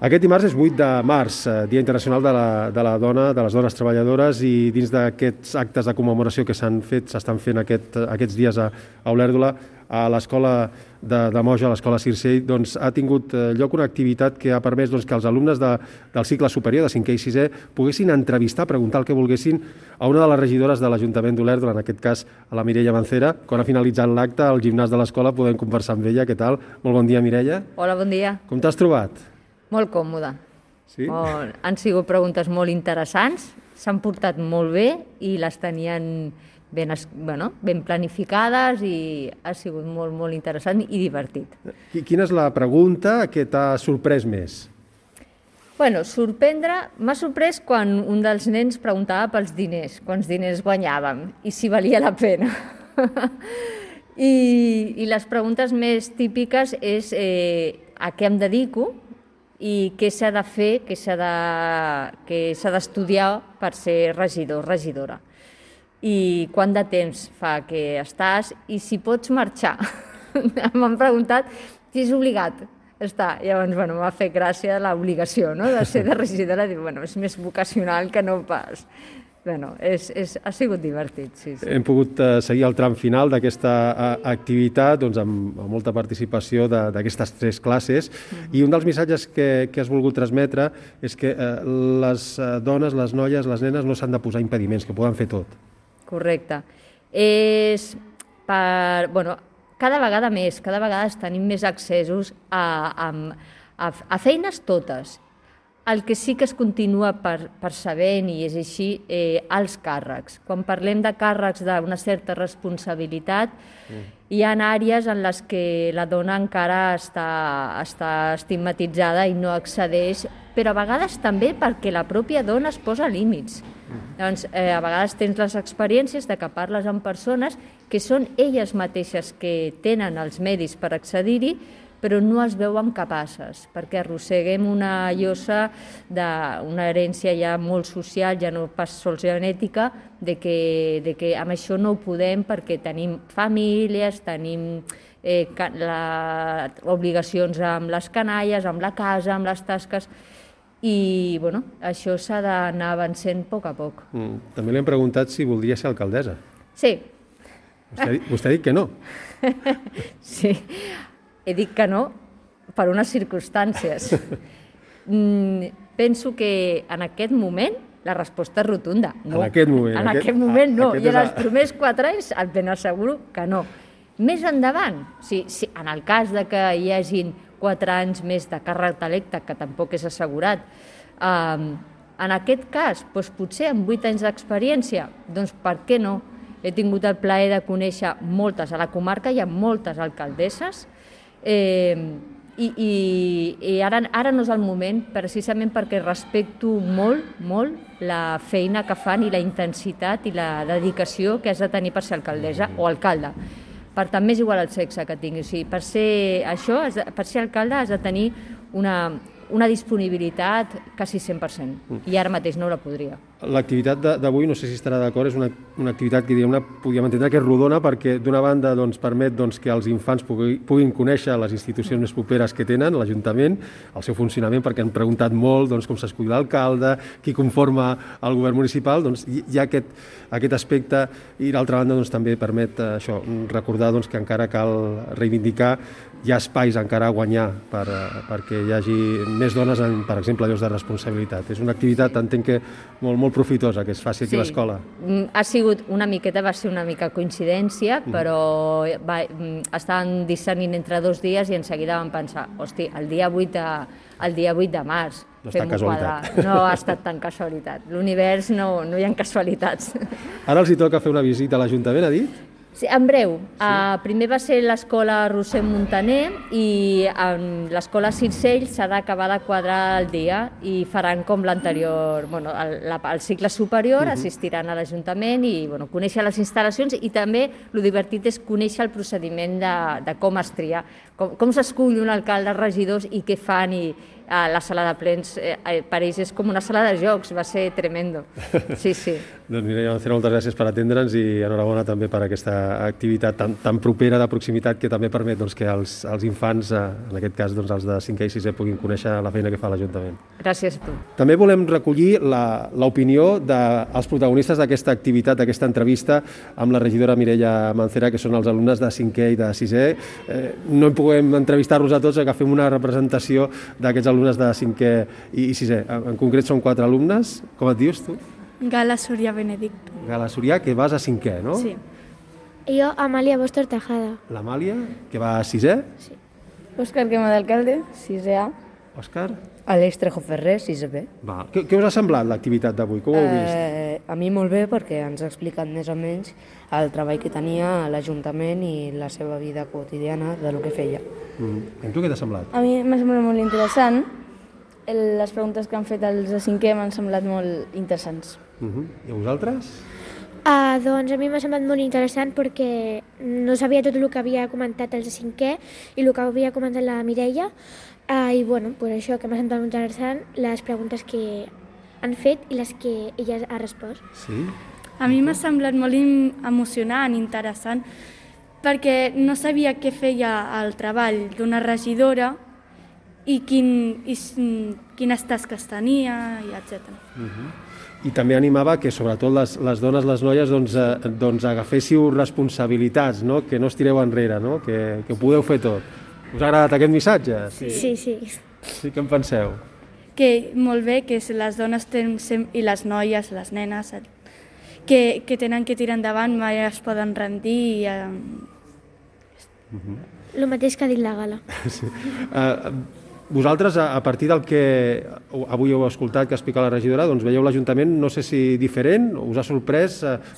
Aquest dimarts és 8 de març, Dia Internacional de la Dona, de les Dones Treballadores, i dins d'aquests actes de commemoració que s'estan fent aquests dies a Olèrdola, a l'escola de Moja, a l'escola Circell, doncs, ha tingut lloc una activitat que ha permès que els alumnes del cicle superior, de 5è i 6è, poguessin entrevistar, preguntar el que volguessin a una de les regidores de l'Ajuntament d'Olèrdola, en aquest cas a la Mireia Mancera. Quan ha finalitzat l'acte, al gimnàs de l'escola podem conversar amb ella. Què tal? Molt bon dia, Mireia. Hola, bon dia. Com t'has trobat? Molt còmode. Sí? Han sigut preguntes molt interessants, s'han portat molt bé i les tenien ben planificades i ha sigut molt, molt interessant i divertit. Quina és la pregunta que t'ha sorprès més? M'ha sorprès quan un dels nens preguntava pels diners, quants diners guanyàvem i si valia la pena. I les preguntes més típiques és a què em dedico i què s'ha de fer, què s'ha d'estudiar per ser regidor, regidora. I quant de temps fa que estàs i si pots marxar. M'han preguntat si és obligat estar. Llavors, m'ha fet gràcia l'obligació de ser de regidora. És més vocacional que no pas. Ha sigut divertit, sí. Hem pogut seguir el tram final d'aquesta activitat amb molta participació d'aquestes 3 classes i un dels missatges que has volgut transmetre és que les dones, les noies, les nenes no s'han de posar impediments, que poden fer tot. Correcte. Cada vegada tenim més accessos a feines totes. El que sí que es continua percebent, i és així, els càrrecs. Quan parlem de càrrecs d'una certa responsabilitat, hi ha àrees en les que la dona encara està estigmatitzada i no accedeix, però a vegades també perquè la pròpia dona es posa límits. Doncs, a vegades tens les experiències de que parles amb persones que són elles mateixes que tenen els medis per accedir-hi, però no es veuen capaces, perquè arrosseguem una llosa d'una herència ja molt social, ja no pas sols genètica, de que amb això no ho podem perquè tenim famílies, tenim obligacions amb les canalles, amb la casa, amb les tasques, i això s'ha d'anar avançant a poc a poc. També li hem preguntat si voldria ser alcaldessa. Sí. Vostè ha dit que no. Sí. He dit que no per unes circumstàncies. Penso que en aquest moment la resposta és rotunda. No. En aquest moment? En aquest moment no. I en els primers 4 anys et ben asseguro que no. Més endavant, en el cas de que hi hagin 4 anys més de càrrec electe, que tampoc és assegurat, en aquest cas, potser amb 8 anys d'experiència, doncs per què no? He tingut el plaer de conèixer moltes a la comarca, hi ha moltes alcaldesses, i ara no és el moment, precisament perquè respecto molt, molt la feina que fan i la intensitat i la dedicació que has de tenir per ser alcaldessa o alcalde. Per tant, m'és igual el sexe que tinguis. Per ser alcalde has de tenir una disponibilitat quasi 100%, i ara mateix no la podria. L'activitat d'avui, no sé si estarà d'acord, és una activitat que podríem entendre que és rodona perquè d'una banda permet que els infants puguin conèixer les institucions més properes que tenen, l'Ajuntament, el seu funcionament, perquè han preguntat molt com s'escull l'alcalde, qui conforma el govern municipal, hi ha aquest aspecte, i d'altra banda també permet recordar que encara cal reivindicar, hi ha espais encara a guanyar perquè hi hagi més dones en, per exemple, llocs de responsabilitat. És una activitat, entenc que molt profitosa, que es faci aquí a l'escola. Ha sigut va ser una mica coincidència, però estaven discernint entre 2 dies i en seguida vam pensar, hosti, el dia 8 de març, no està casualitat. No ha estat tan casualitat. L'univers no hi ha casualitats. Ara els toca fer una visita a l'Ajuntament, ha dit? Sí, en breu. Primer va ser l'escola Roser Montaner i l'escola Circell s'ha d'acabar de quadrar el dia i faran com l'anterior, el cicle superior, assistiran a l'Ajuntament i conèixer les instal·lacions, i també el divertit és conèixer el procediment de com es tria, com s'escull un alcalde, regidors i què fan, la sala de plens per ells és com una sala de jocs, va ser tremendo. Sí, sí. Doncs Mireia Mancera, moltes gràcies per atendre'ns i enhorabona també per aquesta activitat tan propera de proximitat que també permet que els infants, en aquest cas els de 5è i 6è, puguin conèixer la feina que fa l'Ajuntament. Gràcies a tu. També volem recollir l'opinió dels protagonistes d'aquesta activitat, d'aquesta entrevista amb la regidora Mireia Mancera, que són els alumnes de 5è i de 6è. No podem entrevistar-los a tots, que fem una representació d'aquests alumnes de 5è i 6è. En concret són 4 alumnes. Com et dius tu? Gala Soria Benedicto. Gala Soria, que vas a 5è, no? Sí. Jo, Amàlia Bóstor Tejada. L'Amàlia, que va a 6è? Sí. Òscar Quema d'Alcalde, 6A. Òscar? Aleix Trejo Ferrer, 6B. Va. Què us ha semblat l'activitat d'avui? Com ho heu vist? A mi molt bé, perquè ens ha explicat més o menys el treball que tenia a l'Ajuntament i la seva vida quotidiana de lo que feia. I tu què t'ha semblat? A mi m'ha semblat molt interessant. Les preguntes que han fet els de 5è m'han semblat molt interessants. I a vosaltres? Doncs a mi m'ha semblat molt interessant perquè no sabia tot el que havia comentat els de 5è i el que havia comentat la Mireia. I bueno, pues això que m'ha semblat molt interessant, les preguntes que han fet i les que ella ha respost. Sí? A mi m'ha semblat molt emocionant, interessant, perquè no sabia què feia el treball d'una regidora i quines tasques tenia, i etc. I també animava que sobretot les dones, les noies, doncs agaféssiu responsabilitats, no? Que no estireu enrere, no? Que ho podeu fer tot. Us ha agradat aquest missatge? Sí. Sí, què en penseu? Que molt bé, que les dones i les noies, les nenes, que tenen que tirar endavant, mai es poden rendir. El mateix que ha dit la Gala. Sí. Vosaltres, a partir del que avui heu escoltat que explica la regidora, doncs veieu l'Ajuntament, no sé si diferent, us ha sorprès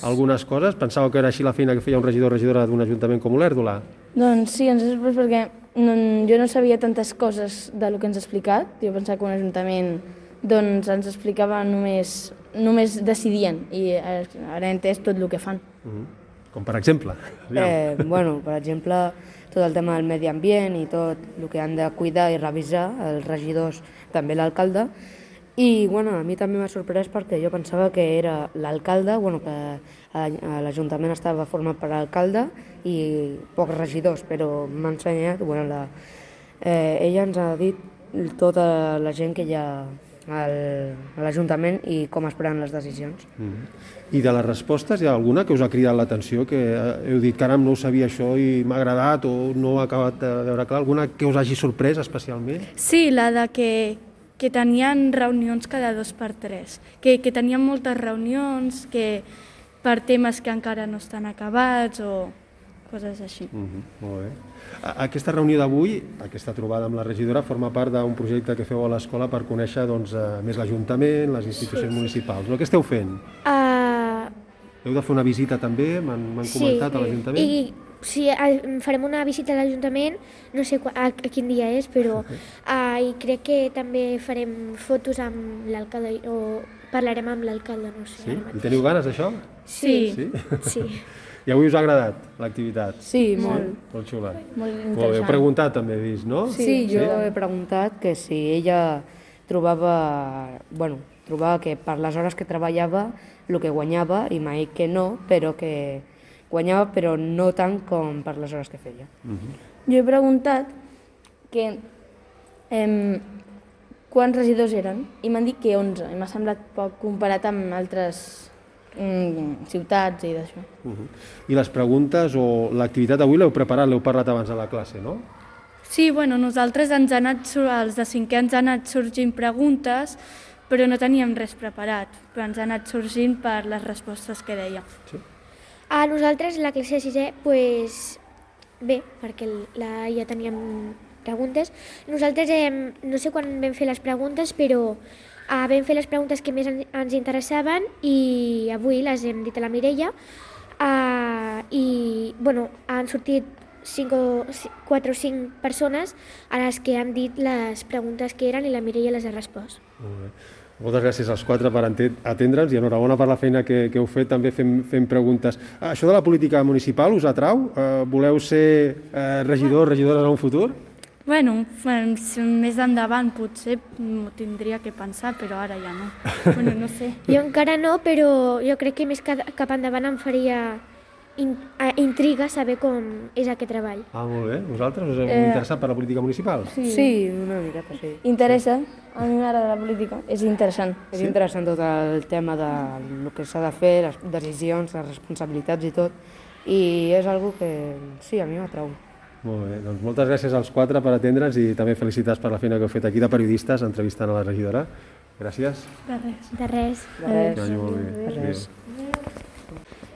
algunes coses? Pensàveu que era així la feina que feia un regidor o regidora d'un Ajuntament com Olèrdola? Doncs sí, ens ha sorprès perquè jo no sabia tantes coses del que ens ha explicat. Jo pensava que un Ajuntament doncs, ens explicava només decidien i ara he entès tot el que fan. Com per exemple? Bueno, per exemple, tot el tema del medi ambient i tot el que han de cuidar i revisar els regidors, també l'alcalde. I bueno, a mi també m'ha sorprès perquè jo pensava que era l'alcalde, que l'Ajuntament estava format per l'alcalde i pocs regidors, però m'ha ensenyat, ella ens ha dit tota la gent que hi ha a l'Ajuntament i com es prenen les decisions. I de les respostes hi ha alguna que us ha cridat l'atenció, que heu dit, caram, no ho sabia això i m'ha agradat o no ho he acabat de veure clar? Alguna que us hagi sorprès especialment? Sí, la de que tenien reunions cada 2 per 3, que tenien moltes reunions per temes que encara no estan acabats o coses així. Molt bé. Aquesta reunió d'avui, aquesta trobada amb la regidora, forma part d'un projecte que feu a l'escola per conèixer més l'Ajuntament, les institucions municipals. No? Què esteu fent? Heu de fer una visita també, m'han comentat, a l'Ajuntament? Sí, farem una visita a l'Ajuntament, no sé a quin dia és, però i crec que també farem fotos amb l'alcalde o parlarem amb l'alcalde, no sé. Sí? I teniu ganes d'això? Sí. I avui us ha agradat l'activitat? Sí, molt. Molt xula. Molt interessant. Molt bé, heu preguntat també, he vist, no? Sí, jo he preguntat que si ella trobava que per les hores que treballava el que guanyava, i m'ha dit que no, però que guanyava però no tant com per les hores que feia. Jo he preguntat que quants regidors eren i m'han dit que 11 i m'ha semblat poc comparat amb altres ciutats i d'això. I les preguntes o l'activitat d'avui l'heu preparat, l'heu parlat abans a la classe, no? Sí, nosaltres els de 5è ens han anat sorgint preguntes, però no teníem res preparat, però ens han anat sorgint per les respostes que deia. Sí. A nosaltres, la classe de 6è, pues, bé, perquè ja teníem preguntes. Nosaltres, no sé quan vam fer les preguntes, però vam fer les preguntes que més ens interessaven i avui les hem dit a la Mireia i han sortit 4 o 5 persones a les que han dit les preguntes que eren i la Mireia les ha respost. Molt bé. Moltes gràcies als 4 per atendre'ns i enhorabona per la feina que heu fet també fent preguntes. Això de la política municipal us atrau? Voleu ser regidors, regidores en un futur? Bueno, més endavant potser m'ho tindria que pensar, però ara ja no. Bueno, no sé. Jo encara no, però jo crec que més cap endavant em faria intriga saber com és aquest treball. Molt bé. Vosaltres us heu interessat per la política municipal? Sí, una miqueta, sí. Interessa, a mi m'agrada la política, és interessant. És interessant tot el tema de lo que s'ha de fer, les decisions, les responsabilitats i tot, i és algo que sí, a mi m'atrau. Molt bé, doncs moltes gràcies als quatre per atendre'ns i també felicitats per la feina que heu fet aquí de periodistes entrevistant a la regidora. Gràcies. De res. De res. Que vagi molt bé.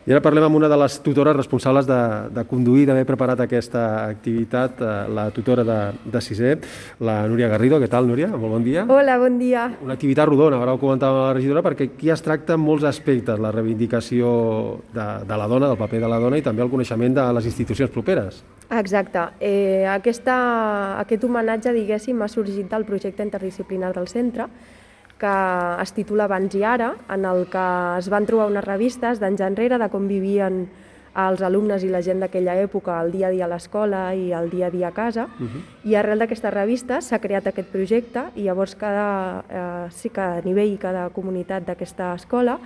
I ara parlem amb una de les tutores responsables de conduir, d'haver preparat aquesta activitat, la tutora de sisè, la Núria Garrido. Què tal, Núria? Molt bon dia. Hola, bon dia. Una activitat rodona, ara ho comentava la regidora, perquè aquí es tracta molts aspectes, la reivindicació de la dona, del paper de la dona i també el coneixement de les institucions properes. Exacte. Aquest homenatge, diguéssim, ha sorgit del projecte interdisciplinar del centre, que es titula Abans i ara, en el que es van trobar unes revistes d'anys enrere de com vivien els alumnes i la gent d'aquella època el dia a dia a l'escola i el dia a dia a casa, i arrel d'aquestes revistes s'ha creat aquest projecte i llavors cada nivell i cada comunitat d'aquesta escola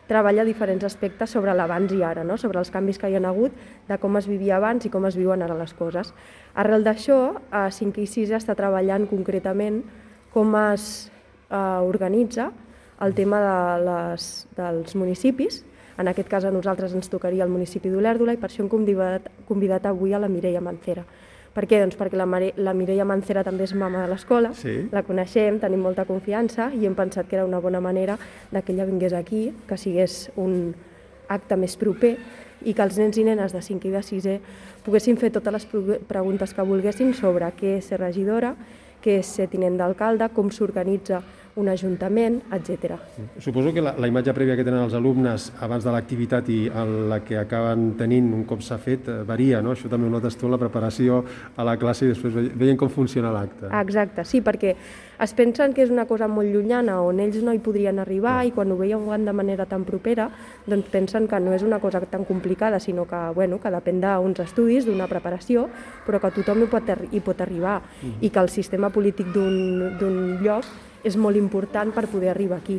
treballa diferents aspectes sobre l'abans i ara, no? Sobre els canvis que hi ha hagut, de com es vivia abans i com es viuen ara les coses. Arrel d'això, 5 i 6 està treballant concretament com es organitza el tema dels municipis. En aquest cas a nosaltres ens tocaria el municipi d'Olèrdola i per això hem convidat avui a la Mireia Mancera. Per què? Doncs perquè la Mireia Mancera també és mama de l'escola, la coneixem, tenim molta confiança i hem pensat que era una bona manera que ella vingués aquí, que sigués un acte més proper i que els nens i nenes de 5 i de 6è poguessin fer totes les preguntes que volguessin sobre què és ser regidora, què és ser tinent d'alcalde, com s'organitza un ajuntament, etc. Suposo que la imatge prèvia que tenen els alumnes abans de l'activitat i la que acaben tenint un cop s'ha fet varia, no? Això també ho notes tu en la preparació a la classe i després veient com funciona l'acte. Exacte, sí, perquè es pensen que és una cosa molt llunyana on ells no hi podrien arribar i quan ho veuen de manera tan propera doncs pensen que no és una cosa tan complicada, sinó que, que depèn d'uns estudis, d'una preparació, però que tothom hi pot arribar i que el sistema polític d'un lloc és molt important per poder arribar aquí.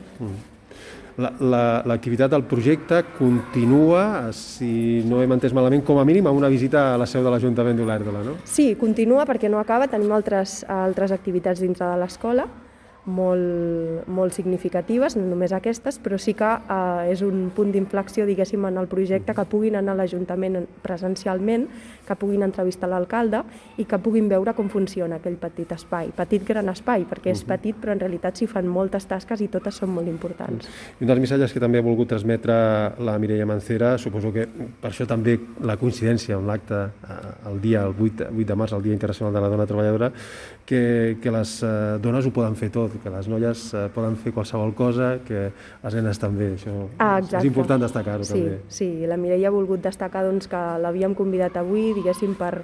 L'activitat del projecte continua, si no hem entès malament, com a mínim amb una visita a la seu de l'Ajuntament d'Olèrdola, no? Sí, continua perquè no acaba, tenim altres activitats dintre de l'escola, molt significatives, no només aquestes, però sí que és un punt d'inflexió, diguéssim, en el projecte, que puguin anar a l'Ajuntament presencialment, que puguin entrevistar l'alcalde i que puguin veure com funciona aquell petit espai, petit gran espai, perquè és petit però en realitat s'hi fan moltes tasques i totes són molt importants. I un dels missatges que també ha volgut transmetre la Mireia Mancera, suposo que per això també la coincidència amb l'acte el 8 de març, el Dia Internacional de la Dona Treballadora, que les dones ho poden fer tot, que les noies poden fer qualsevol cosa, que les nenes també. Això és important destacar-ho també. Sí, la Mireia ha volgut destacar que l'havíem convidat avui, diguéssim, per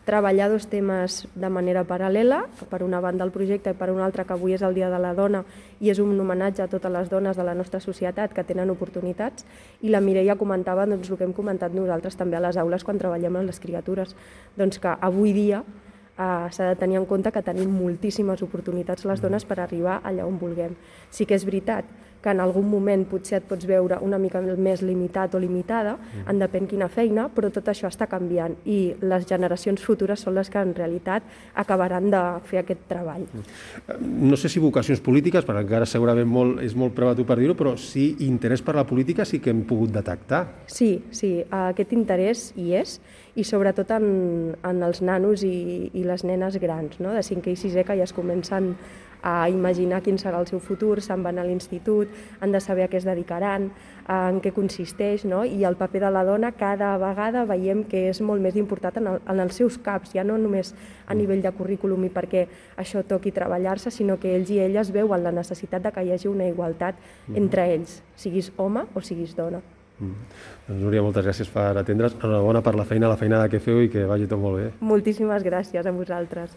treballar dos temes de manera paral·lela, per una banda el projecte i per una altra que avui és el Dia de la Dona i és un homenatge a totes les dones de la nostra societat que tenen oportunitats, i la Mireia comentava el que hem comentat nosaltres també a les aules quan treballem amb les criatures, que avui dia s'ha de tenir en compte que tenim moltíssimes oportunitats les dones per arribar allà on vulguem. Sí que és veritat que en algun moment potser et pots veure una mica més limitat o limitada, en depèn quina feina, però tot això està canviant i les generacions futures són les que en realitat acabaran de fer aquest treball. No sé si vocacions polítiques, perquè encara segurament és molt prematur per dir-ho, però sí interès per la política sí que hem pogut detectar. Sí, aquest interès hi és, i sobretot en els nanos i les nenes grans, no? De 5è i 6è, que ja es comencen a imaginar quin serà el seu futur, se'n van a l'institut, han de saber a què es dedicaran, en què consisteix, no? I el paper de la dona cada vegada veiem que és molt més important en els seus caps, ja no només a nivell de currículum i perquè això toqui treballar-se, sinó que ells i elles veuen la necessitat de que hi hagi una igualtat entre ells, siguis home o siguis dona. Doncs Núria, moltes gràcies per atendre's. Enhorabona per la feina que feu i que vagi tot molt bé. Moltíssimes gràcies a vosaltres.